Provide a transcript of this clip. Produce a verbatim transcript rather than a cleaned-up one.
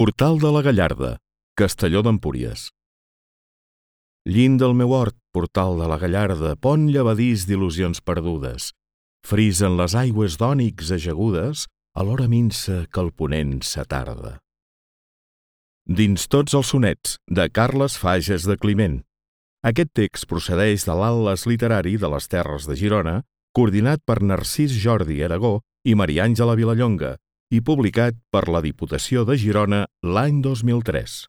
Portal de la Gallarda, Castelló d'Empúries. Llind del meu hort, portal de la Gallarda, pont llevadís d'il·lusions perdudes. Frisen les aigües d'ònix ajagudes a l'hora minsa que el ponent s'atarda. Dins tots els sonets, de Carles Fages de Climent. Aquest text procedeix de l'Atles literari de les Terres de Girona, coordinat per Narcís Jordi Aragó i Maria Àngela Vilallonga, i publicat per la Diputació de Girona l'any dos mil tres.